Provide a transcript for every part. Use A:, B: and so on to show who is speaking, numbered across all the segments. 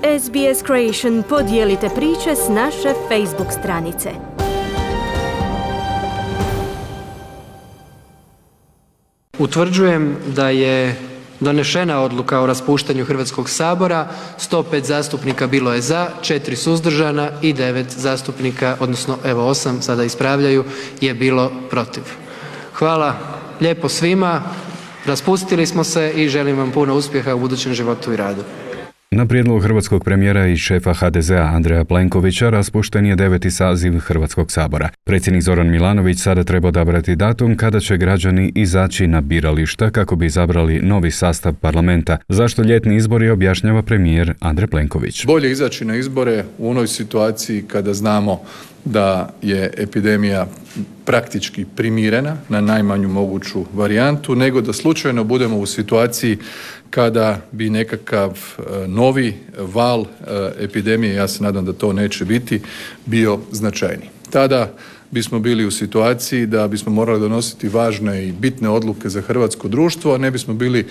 A: SBS Creation podijelite priče s naše Facebook stranice.
B: Utvrđujem da je donešena odluka o raspuštanju Hrvatskog sabora, 105 zastupnika bilo je za, 4 suzdržana i 9 zastupnika, odnosno 8 sada ispravljaju, je bilo protiv. Hvala lijepo svima, raspustili smo se i želim vam puno uspjeha u budućem životu i radu.
C: Na prijedlog hrvatskog premijera i šefa HDZ-a Andreja Plenkovića raspušten je 9. saziv Hrvatskog sabora. Predsjednik Zoran Milanović sada treba odabrati datum kada će građani izaći na birališta kako bi izabrali novi sastav parlamenta. Zašto ljetni izbori objašnjava premijer Andrej Plenković.
D: Bolje izaći na izbore u onoj situaciji kada znamo da je epidemija praktički primirena na najmanju moguću varijantu, nego da slučajno budemo u situaciji kada bi nekakav novi val epidemije, ja se nadam da to neće biti, bio značajniji. Tada bismo bili u situaciji da bismo morali donositi važne i bitne odluke za hrvatsko društvo, a ne bismo bili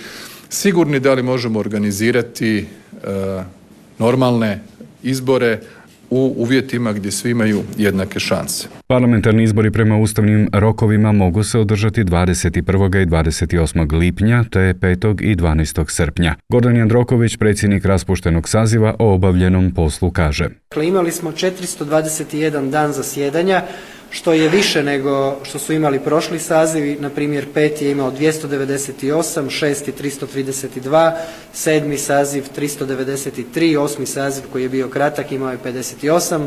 D: sigurni da li možemo organizirati normalne izbore u uvjetima gdje svi imaju jednake šanse.
C: Parlamentarni izbori prema ustavnim rokovima mogu se održati 21. i 28. lipnja te 5. i 12. srpnja. Gordan Jandroković, predsjednik raspuštenog saziva, o obavljenom poslu kaže.
B: Imali smo 421 dan zasjedanja, što je više nego što su imali prošli sazivi. Na primjer, 5. je imao 298, 6. 332, 7. saziv 393, 8. saziv koji je bio kratak imao je 58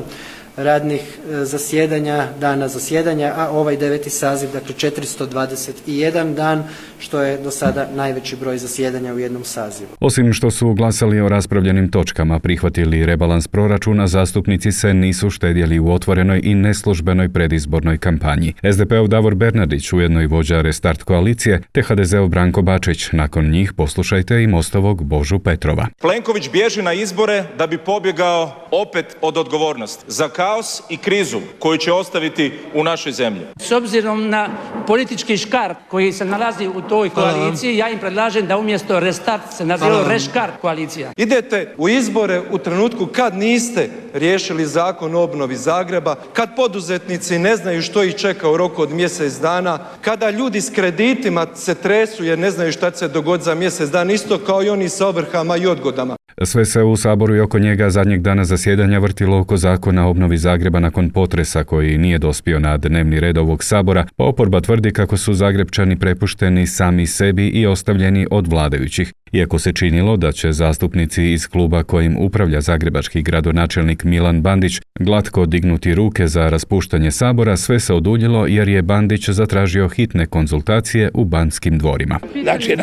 B: radnih zasjedanja, dana zasjedanja, a ovaj 9. saziv, dakle 421 dan, što je do sada najveći broj zasjedanja u jednom sazivu.
C: Osim što su glasali o raspravljenim točkama, prihvatili rebalans proračuna, zastupnici se nisu štedjeli u otvorenoj i neslužbenoj predizbornoj kampanji. SDP-ov Davor Bernardić, ujedno i vođa Restart koalicije, te HDZ-ov Branko Bačić. Nakon njih poslušajte i Mostovog Božu Petrova.
E: Plenković bježi na izbore da bi pobjegao opet od odgovornosti za kaos i krizu koju će ostaviti u našoj zemlji.
F: S obzirom na politički škart koji se nalazi u toj koaliciji, ja im predlažem da umjesto Restart se naziva Reškart koalicija.
G: Idete u izbore u trenutku kad niste riješili zakon o obnovi Zagreba, kad poduzetnici ne znaju što ih čeka u roku od mjesec dana, kada ljudi s kreditima se tresu jer ne znaju šta će se dogoditi za mjesec dana, isto kao i oni sa ovrhama i odgodama.
C: Sve se u Saboru i oko njega zadnjeg dana zasjedanja vrtilo oko zakona o obnovi Zagreba nakon potresa koji nije dospio na dnevni red ovog Sabora, pa oporba tvrdi kako su Zagrepčani prepušteni sami sebi i ostavljeni od vladajućih. Iako se činilo da će zastupnici iz kluba kojim upravlja zagrebački gradonačelnik Milan Bandić glatko dignuti ruke za raspuštanje Sabora, sve se oduljilo jer je Bandić zatražio hitne konzultacije u Banskim dvorima.
H: Znači,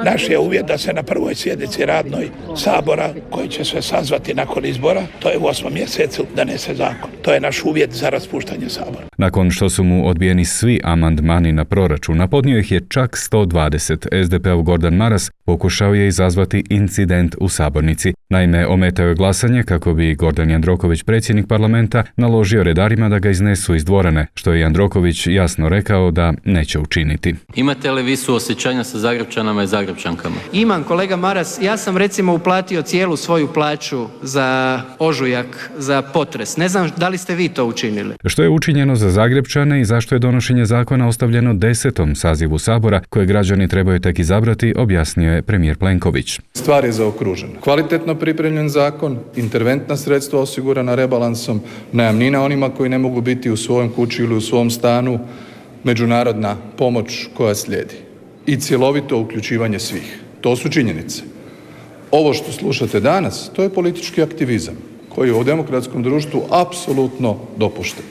H: naš je uvjet da se na prvoj sjednici radnoj Sabora, koji će se sazvati nakon izbora, to je u 8. mjesecu, donese zakon. To je naš uvjet za raspuštanje Sabora.
C: Nakon što su mu odbijeni svi amandmani na proračun, a podnio ih je čak 120, SDP-ov Gordan Maras pokušao je izazvati incident u sabornici. Naime, ometao je glasanje kako bi Gordan Jandroković, predsjednik parlamenta, naložio redarima da ga iznesu iz dvorane, što je Jandroković jasno rekao da neće učiniti.
I: Imate li vi suosjećanja sa Zagrepčanama i Zagrepčankama?
B: Imam, kolega Maras, ja sam recimo uplatio cijelu svoju plaću za ožujak, za potres. Ne znam da li ste vi to učinili.
C: Što je učinjeno za Zagrepčane i zašto je donošenje zakona ostavljeno 10. sazivu Sabora, koje građani trebaju tek izabrati, objasnio je premijer Plenković.
D: Stvar je zaokružena. Kvalitetno pripremljen zakon, interventna sredstva osigurana rebalansom, najamnina onima koji ne mogu biti u svojom kući ili u svom stanu, međunarodna pomoć koja slijedi i cjelovito uključivanje svih. To su činjenice. Ovo što slušate danas, to je politički aktivizam koji je u demokratskom društvu apsolutno dopušten.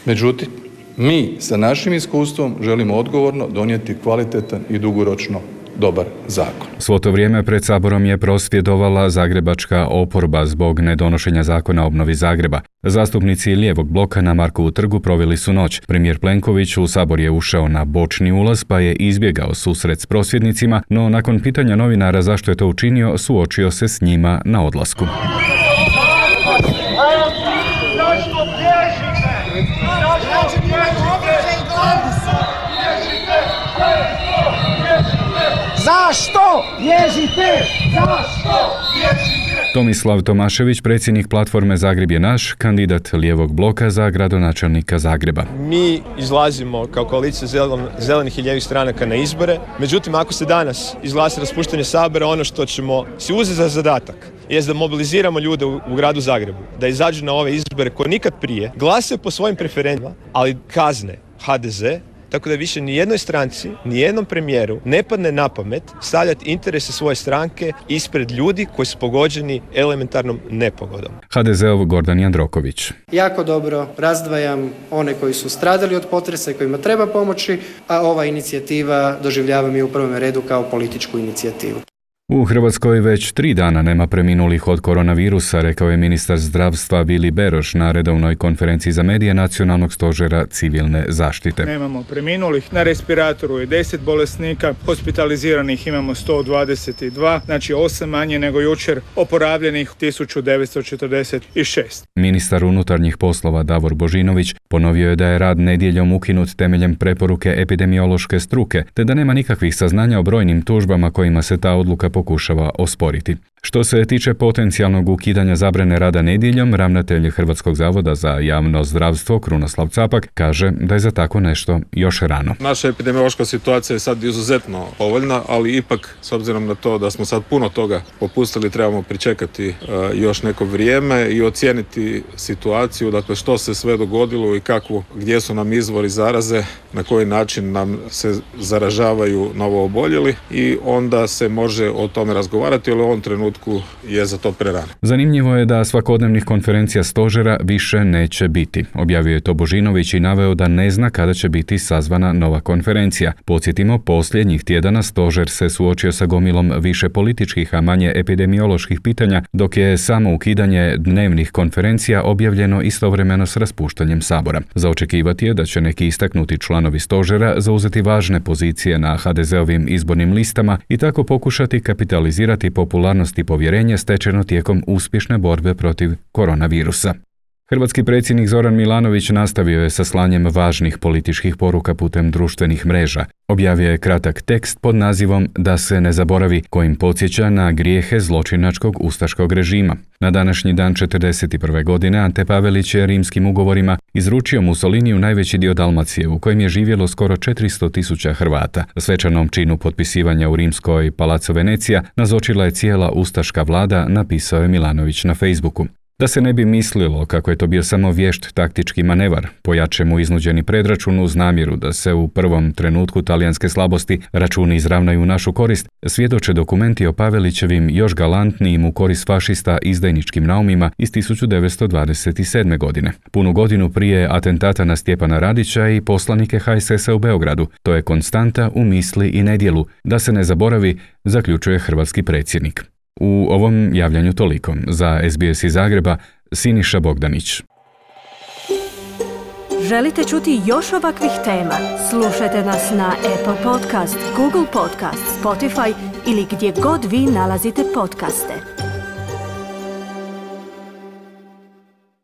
D: Međutim, mi sa našim iskustvom želimo odgovorno donijeti kvalitetan i dugoročno dobar zakon.
C: Svo to vrijeme pred Saborom je prosvjedovala zagrebačka oporba zbog nedonošenja zakona o obnovi Zagreba. Zastupnici lijevog bloka na Markovu trgu proveli su noć. Premijer Plenković u Sabor je ušao na bočni ulaz pa je izbjegao susret s prosvjednicima, no nakon pitanja novinara zašto je to učinio, suočio se s njima na odlasku.
J: Zašto bježite? Zašto bježite?
C: Tomislav Tomašević, predsjednik platforme Zagreb je naš, kandidat lijevog bloka za gradonačelnika Zagreba.
J: Mi izlazimo kao koalicija zelenih i lijevih stranaka na izbore, međutim ako se danas izglasa raspuštanje Sabora, ono što ćemo si uzeti za zadatak jest da mobiliziramo ljude u gradu Zagrebu, da izađu na ove izbore koje nikad prije, glasuju po svojim preferencijama, ali kazne HDZ, tako da više ni jednoj stranci, ni jednom premijeru ne padne na pamet stavljati interese svoje stranke ispred ljudi koji su pogođeni elementarnom nepogodom.
C: HDZ-ov Gordan Jandroković.
B: Jako dobro razdvajam one koji su stradali od potresa i kojima treba pomoći, a ova inicijativa doživljavam i u prvom redu kao političku inicijativu.
C: U Hrvatskoj već 3 dana nema preminulih od koronavirusa, rekao je ministar zdravstva Vili Beroš na redovnoj konferenciji za medije Nacionalnog stožera civilne zaštite.
K: Nemamo preminulih, na respiratoru je 10 bolesnika, hospitaliziranih imamo 122, znači 8 manje nego jučer, oporavljenih 1946.
C: Ministar unutarnjih poslova Davor Božinović ponovio je da je rad nedjeljom ukinut temeljem preporuke epidemiološke struke, te da nema nikakvih saznanja o brojnim tužbama kojima se ta odluka pokušava osporiti. Što se tiče potencijalnog ukidanja zabrane rada nedjeljom, ravnatelj Hrvatskog zavoda za javno zdravstvo Krunoslav Capak kaže da je za tako nešto još rano.
L: Naša epidemiološka situacija je sad izuzetno povoljna, ali ipak s obzirom na to da smo sad puno toga popustili, trebamo pričekati još neko vrijeme i ocijeniti situaciju, dakle što se sve dogodilo i gdje su nam izvori zaraze, na koji način nam se zaražavaju novooboljeli i onda se može o tome razgovarati, ali u ovom trenutku je za to prerano.
C: Zanimljivo je da svakodnevnih konferencija stožera više neće biti. Objavio je to Božinović i naveo da ne zna kada će biti sazvana nova konferencija. Podsjetimo, posljednjih tjedana stožer se suočio sa gomilom više političkih, a manje epidemioloških pitanja, dok je samo ukidanje dnevnih konferencija objavljeno istovremeno s raspuštanjem Sabora. Za očekivati je da će neki istaknuti članovi stožera zauzeti važne pozicije na HDZ-ovim izbornim listama i tako pokušati kapitalizirati popularnost i povjerenje stečeno tijekom uspješne borbe protiv koronavirusa. Hrvatski predsjednik Zoran Milanović nastavio je sa slanjem važnih političkih poruka putem društvenih mreža. Objavio je kratak tekst pod nazivom Da se ne zaboravi, kojim podsjeća na grijehe zločinačkog ustaškog režima. Na današnji dan 1941. godine Ante Pavelić je rimskim ugovorima izručio Mussoliniju najveći dio Dalmacije, u kojem je živjelo skoro 400.000 Hrvata. Svečanom činu potpisivanja u rimskoj Palazzo Venecija nazočila je cijela ustaška vlada, napisao je Milanović na Facebooku. Da se ne bi mislilo kako je to bio samo vješt taktički manevar, pojače mu iznuđeni predračun uz namjeru da se u prvom trenutku talijanske slabosti računi izravnaju u našu korist, svjedoče dokumenti o Pavelićevim još galantnijim u korist fašista izdajničkim naumima iz 1927. godine. Punu godinu prije atentata na Stjepana Radića i poslanike HSS-a u Beogradu. To je konstanta u misli i nedjelu. Da se ne zaboravi, zaključuje hrvatski predsjednik. U ovom javljanju toliko. Za SBS iz Zagreba, Siniša Bogdanić.
A: Želite čuti još ovakvih tema? Slušajte nas na Apple Podcast, Google Podcast, Spotify ili gdje god vi nalazite podcaste.